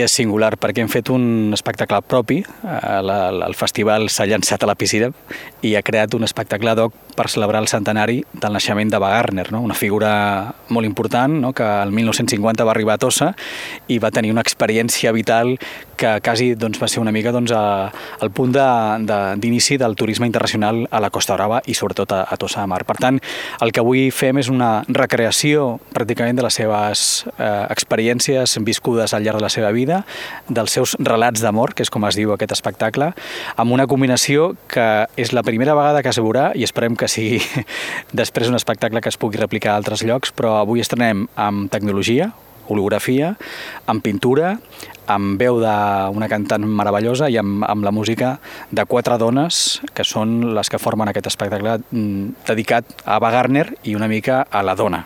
és singular perquè hem fet un espectacle propi. El festival s'ha llançat a la piscina i ha creat un espectacle ad hoc per celebrar el centenari del naixement de Wagner, no? Una figura molt important, no? Que el 1950 va arribar a Tossa i va tenir una experiència vital que quasi va ser una mica el punt d'inici del turisme internacional a la Costa Brava i sobretot a Tossa de Mar. Per tant, el que avui fem és una recreació pràcticament de les seves experiències viscudes al llarg de la seva vida, dels seus relats d'amor, que és com es diu aquest espectacle, amb una combinació que és la primera vegada que es veurà i esperem que sigui després un espectacle que es pugui replicar a altres llocs, però avui estrenem amb tecnologia, holografia, amb pintura, amb veu d'una cantant meravellosa i amb la música de 4 dones que són les que formen aquest espectacle dedicat a Wagner i una mica a la dona.